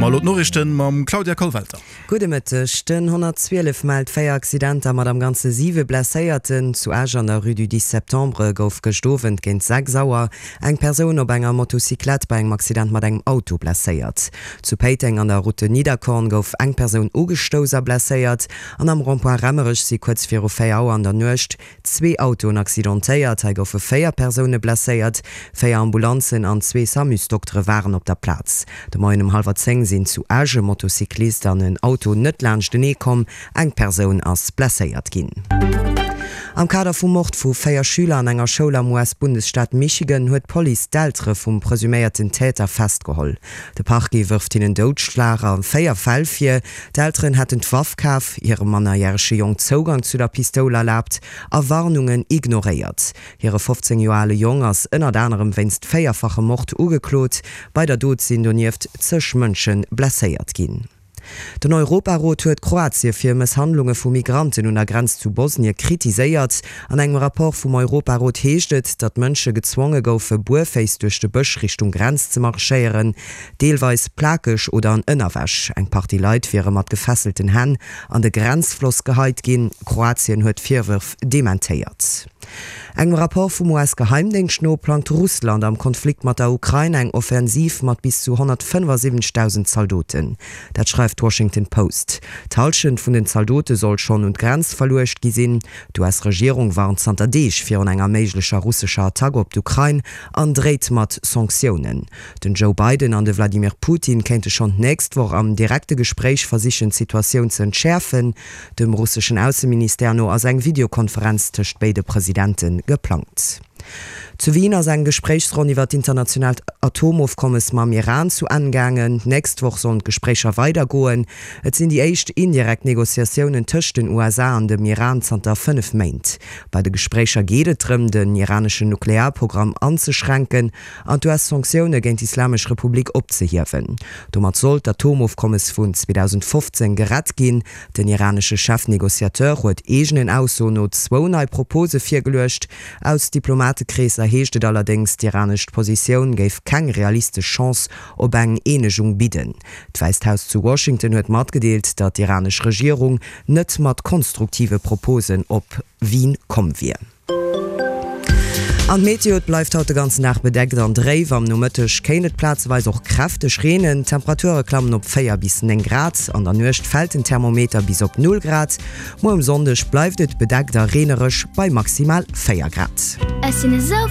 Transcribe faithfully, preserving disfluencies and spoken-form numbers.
mer elo d'Noriichten mam Claudia Kollwelter. Gudde Mëtteg. Den honnertzwielef mellt véier Accidenter mat am Ganze siwe Blesséierten. Zu Esch an der Rue du dix septembre gouf gëscht Owend géint sechs Auer eng Persoun op enger Motocyclette bei engem Accident mat engem Auto blesséiert. Zu Péiteng an der Route de Nidderkorn gouf eng Persoun ugestouss a blesséiert. An am Rond-point Raemerech si kuerz viru véier Auer an der Nuecht zwee Autoen accidentéiert. Hei goufe véier Persoune blesséiert. Véier Ambulanzen an zwee Samusdoktere waren op der Plaz. De Moien um hallwer zéng sinn zu Esch e Motocyclist an en Auto net laanschtenee komm. Eng Persoun ass blesséiert ginn. Am Kader vum Mord vu véier Schüler an enger Schoul am U S-Bundesstaat Michigan huet d'Police d'Eltere vum presuméierten Täter festgeholl. De Parquet wërft hinnen Doudschlag a véier Fäll vir. D'Elteren hätten d'Waff kaf, hirem mannerjärege Jong Zougang zu der Pistoul erlaabt a Warnungen ignoréiert. Hire fofzéng Joer ale Jong ass ënnert anerem wéinst véierfachem Mord ugeklot. Bei der Dot sinn donieft zeg Mënsche blesséiert ginn. Den Europarot huet Kroatie fir Mësshandlunge vu Migranten un der Grenz zu Bosnie kritiséiert. An engem Rapport vum Europarot heescht et, datt Mënsche gezwonge goufe buerféiss duerch de Bësch Richtung Grenz ze marschéieren, deelweis plakeg oder an Ënnerwäsch. Eng Partie Leit wiere mat gefesselten Hänn an de Grenzfloss geheit ginn. Kroatien huet d'Virwërf dementéiert. Engem Rapport vum U S-Geheimdéngscht no plangt Russland am Konflikt mat der Ukrain eng Offensiv mat bis zu honnertfënnefasiwwenzegdausend Zaldoten. Dat schreift d'Washington Post. D'Hallschent vun den Zaldote soll schonn un d'Grenz verluecht gi sinn. D'U S-Regierung warnt zanter Deeg virun enger méiglecher russescher Attack op d'Ukrain an dréit mat Sanktiounen. Den Joe Biden an de Wladimir Putin kéinte schonn d'nächst Woch am direkte Gespréich versichen d'Situatioun ze entschäerfen. Dem russeschen Ausseministère no ass eng Videokonferenz tëscht béide Presidente geplangt. Zu Wien ass eng Gespréichsronn iwwer d'internationaalt Atomofkommes mam Iran zu Enn gaangen. D'nächst Woch sollen d'Gespréicher weidergoen. Et sinn déi éischt indirekt Negociatiounen tëscht den U S A an dem Iran zanter fënnef Méint. Bei de Gespréicher geet et drëm, den iraneschen Nuklearprogramm anzeschränken an d'U S-Sanktioune géint d'Islamesch Republik opzehiewen. Domat soll d'Atomofkommes vun zweedausendfofzéng gerett ginn. Den iranesche Chefnegociateur huet eegenen Aussoen no zwou nei Propose virgeluecht. Aus Diplomatekreesser heescht et allerdéngs, d'iranesch Positioun géif keng realistesch Chance op eng Eenegung bidden. D'Wäisst Haus zu Washington huet matgedeelt, datt d'iranesch Regierung net mat konstruktive Proposen op Wien komm wier. An d'Meteo, Et bleift haut de ganzen Dag bedeckt an dréif. Am Nomëtteg kéint et plazeweis och kräfteg reenen. D'Temperature klammen op véier bis néng Grad. An der Nuecht fält den Thermometer bis op null Grad. Muer um Sonndeg bleift et bedeckt a reenereg bei maximal véier Grad. Ech sinn esou.